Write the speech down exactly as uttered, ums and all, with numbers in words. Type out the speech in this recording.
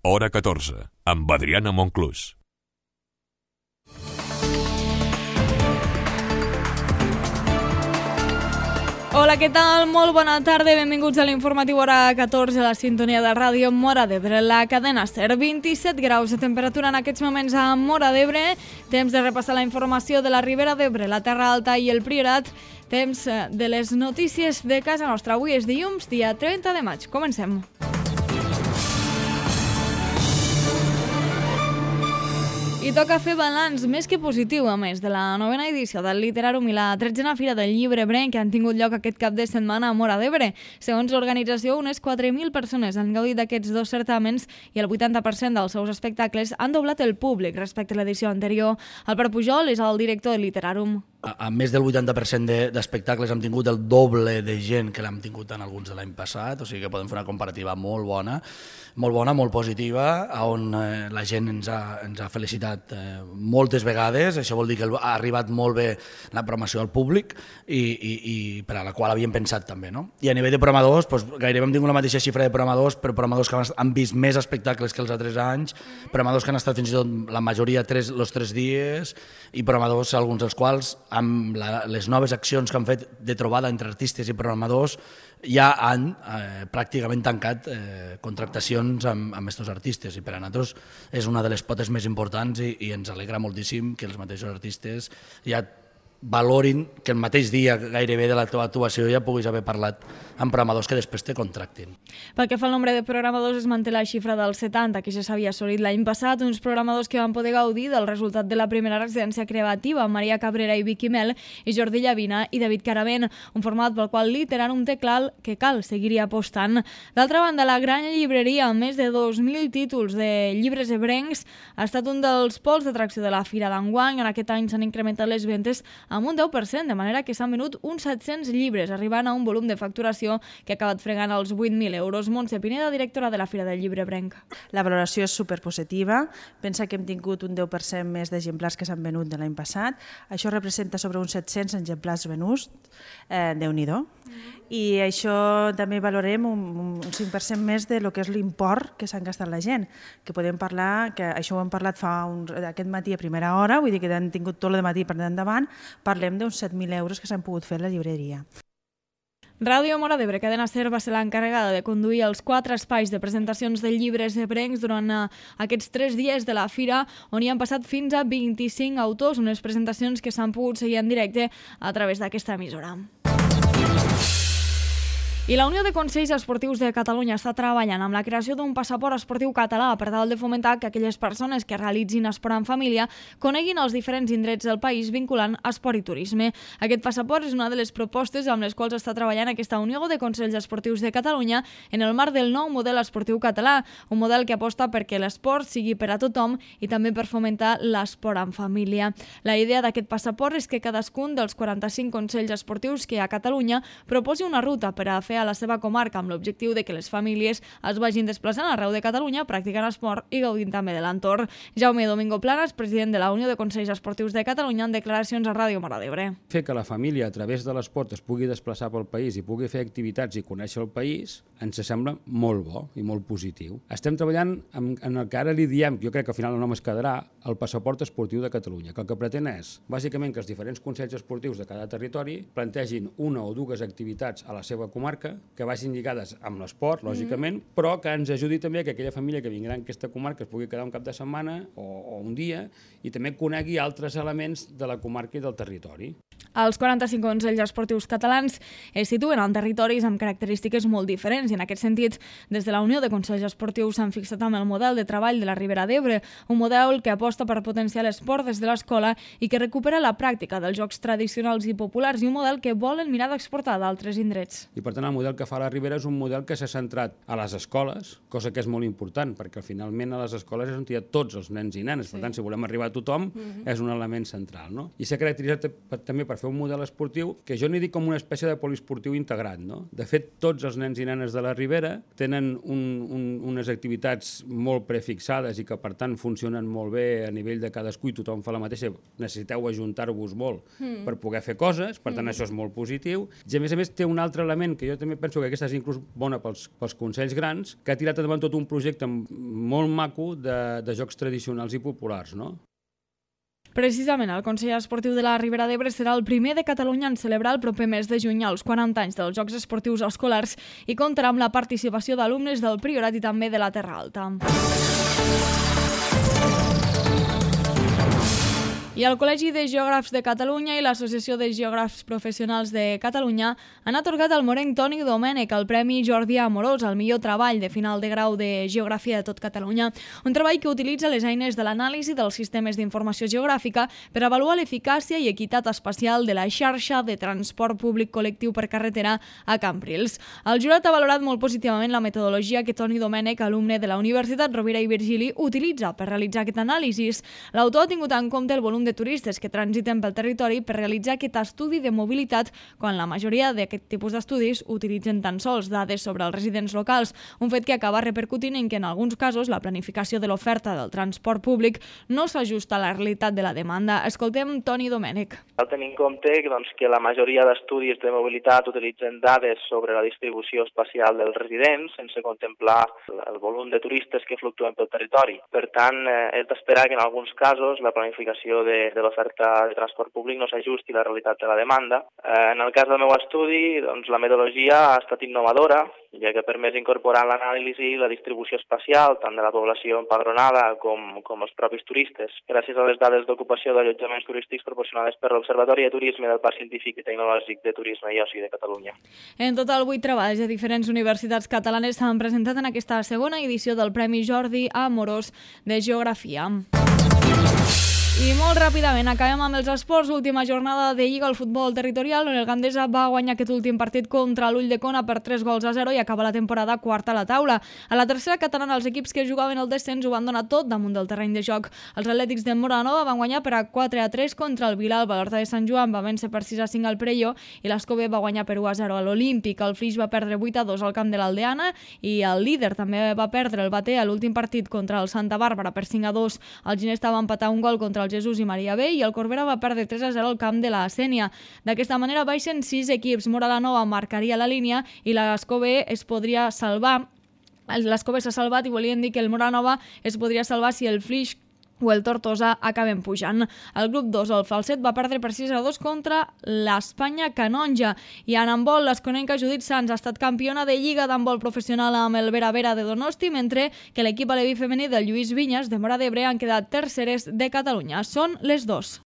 Hora catorze, amb Adriana Monclús. Hola, què tal? Molt bona tarda, benvinguts a l'informatiu Hora catorze, a la sintonia de ràdio Móra d'Ebre, la cadena SER. vint-i-set graus de temperatura en aquests moments a Móra d'Ebre. Temps de repassar la informació de la Ribera d'Ebre, la Terra Alta i el Priorat. Temps de les notícies de casa nostra. Avui és dilluns, dia trenta de maig. Comencem. I toca fer balanç més que positiu, a més, de la novena edició del Literàrum i la tretzena Fira del Llibre Ebrenc que han tingut lloc aquest cap de setmana a Móra d'Ebre. Segons l'organització, unes quatre mil persones han gaudit d'aquests dos certàmens i el vuitanta per cent dels seus espectacles han doblat el públic respecte a l'edició anterior. Albert Pujol és el director del Literàrum. A, a més del vuitanta per cent d'espectacles de, hem tingut el doble de gent que l'hem tingut en alguns de l'any passat, o sigui que podem fer una comparativa molt bona, molt bona, molt positiva, on eh, la gent ens ha, ens ha felicitat eh, moltes vegades. Això vol dir que ha arribat molt bé la programació al públic i, i, i per a la qual havíem pensat també. No? I a nivell de programadors, doncs, gairebé hem tingut la mateixa xifra de programadors, però programadors que han vist més espectacles que els altres anys, programadors que han estat fins i tot la majoria tres, els tres dies, i programadors, alguns dels quals, amb la, les noves accions que han fet de trobada entre artistes i programadors, ja han eh, pràcticament tancat eh, contractacions amb, amb aquests artistes, i per a nosaltres és una de les potes més importants i, i ens alegra moltíssim que els mateixos artistes ja valorin que el mateix dia gairebé de la teva actuació ja puguis haver parlat amb programadors que després te contractin. Pel que fa al nombre de programadors, es manté la xifra dels setanta, que ja s'havia assolit l'any passat, uns programadors que van poder gaudir del resultat de la primera residència creativa, Maria Cabrera i Vicky Mel, i Jordi Llavina i David Caravent, un format pel qual Literàrum té clar que cal seguir apostant. D'altra banda, la gran llibreria, amb més de dos mil títols de llibres ebrencs, ha estat un dels pols d'atracció de la Fira d'enguany. En aquest any s'han incrementat les ventes amb un deu per cent, de manera que s'han venut uns set-cents llibres, arribant a un volum de facturació que ha acabat fregant els vuit mil euros. Montse Pineda, directora de la Fira del Llibre Ebrenc. La valoració és superpositiva. Pensa que hem tingut un deu per cent més d'exemplars que s'han venut de l'any passat. Això representa sobre uns set-cents exemplars venuts. Eh, Déu-n'hi-do. I això també valorem un, un cinc per cent més de lo que és l'import que s'han gastat la gent, que podem parlar, que això ho hem parlat fa un, aquest matí a primera hora, vull dir que han tingut tot el matí per endavant, parlem d'uns set mil euros que s'han pogut fer a la llibreria. Ràdio Móra d'Ebre, cadena SER, va ser l'encarregada de conduir els quatre espais de presentacions de llibres ebrencs durant uh, aquests tres dies de la fira, on hi han passat fins a vint-i-cinc autors, unes presentacions que s'han pogut seguir en directe a través d'aquesta emissora. I la Unió de Consells Esportius de Catalunya està treballant amb la creació d'un passaport esportiu català per tal de fomentar que aquelles persones que realitzin esport en família coneguin els diferents indrets del país vinculant esport i turisme. Aquest passaport és una de les propostes amb les quals està treballant aquesta Unió de Consells Esportius de Catalunya en el marc del nou model esportiu català, un model que aposta perquè l'esport sigui per a tothom i també per fomentar l'esport en família. La idea d'aquest passaport és que cadascun dels quaranta-cinc consells esportius que hi ha a Catalunya proposi una ruta per a fer a la seva comarca amb l'objectiu de que les famílies es vagin desplaçant arreu de Catalunya, practicant esport i gaudint també de l'entorn. Jaume Domingo Planas, president de la Unió de Consells Esportius de Catalunya, en declaracions a Ràdio Móra d'Ebre. Fer que la família a través de l'esport es pugui desplaçar pel país i pugui fer activitats i conèixer el país ens sembla molt bo i molt positiu. Estem treballant en el que ara li diem, jo crec que al final el nom es quedarà, el passaport esportiu de Catalunya, que el que pretén és, bàsicament, que els diferents consells esportius de cada territori plantegin una o dues activitats a la seva comarca que vagin lligades amb l'esport, lògicament, mm. però que ens ajudi també que aquella família que vindrà en aquesta comarca es pugui quedar un cap de setmana o, o un dia i també conegui altres elements de la comarca i del territori. Els quaranta-cinc consells esportius catalans es situen en territoris amb característiques molt diferents i en aquest sentit, des de la Unió de Consells Esportius s'han fixat amb el model de treball de la Ribera d'Ebre, un model que aposta per potenciar l'esport des de l'escola i que recupera la pràctica dels jocs tradicionals i populars i un model que volen mirar d'exportar d'altres indrets. I per tant el model que fa la Ribera és un model que s'ha centrat a les escoles, cosa que és molt important perquè finalment a les escoles és on hi ha tots els nens i nenes, sí. Per tant si volem arribar a tothom mm-hmm. és un element central, no? I s'ha caracteritzat també per fer un model esportiu que jo n'hi dic com una espècie de poliesportiu integrat, no? De fet, tots els nens i nenes de la Ribera tenen un, un, unes activitats molt prefixades i que, per tant, funcionen molt bé a nivell de cadascú i tothom fa la mateixa. Necessiteu ajuntar-vos molt mm. per poder fer coses, per tant, mm. això és molt positiu. I, a més a més, té un altre element que jo també penso que aquesta és inclús bona pels, pels consells grans, que ha tirat endavant tot un projecte molt maco de, de jocs tradicionals i populars, no? Precisament, el Consell Esportiu de la Ribera d'Ebre serà el primer de Catalunya en celebrar el proper mes de juny els quaranta anys dels Jocs Esportius Escolars i comptarà amb la participació d'alumnes del Priorat i també de la Terra Alta. I el Col·legi de Geògrafs de Catalunya i l'Associació de Geògrafs Professionals de Catalunya han atorgat al morenc Toni Domènech el Premi Jordi Amorós al millor treball de final de grau de Geografia de tot Catalunya, un treball que utilitza les eines de l'anàlisi dels sistemes d'informació geogràfica per avaluar l'eficàcia i equitat espacial de la xarxa de transport públic col·lectiu per carretera a Cambrils. El jurat ha valorat molt positivament la metodologia que Toni Domènech, alumne de la Universitat Rovira i Virgili, utilitza per realitzar aquest anàlisi. L'autor ha tingut en compte el volum de turistes que transiten pel territori per realitzar aquest estudi de mobilitat, quan la majoria d'aquest tipus d'estudis utilitzen tan sols dades sobre els residents locals, un fet que acaba repercutint en que en alguns casos la planificació de l'oferta del transport públic no s'ajusta a la realitat de la demanda. Escoltem Toni Domènech. Cal tenir en compte doncs, que la majoria d'estudis de mobilitat utilitzen dades sobre la distribució espacial dels residents sense contemplar el volum de turistes que fluctuen pel territori. Per tant, eh, és d'esperar que en alguns casos la planificació de de l'oferta de transport públic no s'ajusti a la realitat de la demanda. Eh, en el cas del meu estudi, doncs, la metodologia ha estat innovadora, ja que ha permès incorporar en l'anàlisi la distribució espacial tant de la població empadronada com, com els propis turistes, gràcies a les dades d'ocupació d'allotjaments turístics proporcionades per l'Observatori de Turisme del Parc Científic i Tecnològic de Turisme i Oci de Catalunya. En total, vuit treballs de diferents universitats catalanes s'han presentat en aquesta segona edició del Premi Jordi Amorós de Geografia. I molt ràpidament acabem amb els esports. Última jornada de Lliga al futbol territorial, on el Gandesa va guanyar aquest últim partit contra l'Ulldecona per tres gols a zero i acaba la temporada quarta a la taula. A la tercera catalana, els equips que jugaven el descens ho van donar tot damunt del terreny de joc. Els atlètics de Moranova van guanyar per a quatre a tres contra el Vilalba. L'Horta de Sant Joan va vèncer per sis a cinc al Perelló i l'Escove va guanyar per u a zero a l'Olímpic. El Flix va perdre vuit a dos al camp de l'Aldeana i el líder també va perdre el Batea a l'últim partit contra el Santa Bàrbara per cinc a dos. El Ginesta va empatar un gol contra el Jesús i Maria B i el Corbera va perdre tres a zero al camp de la Sènia. D'aquesta manera baixen sis equips. Moralanova marcaria la línia i l'Escove es podria salvar. L'Escove s'ha salvat i volien dir que el Moranova es podria salvar si el Flix o el Tortosa acaben pujant. El grup dos, el Falset, va perdre per sis a dos contra l'Espanya Canonja. I en handbol, l'esconenca Judit Sans ha estat campiona de Lliga d'handbol professional amb el Vera Vera de Donosti, mentre que l'equip aleví femení del Lluís Vinyes de Móra d'Ebre han quedat terceres de Catalunya. Són les dos.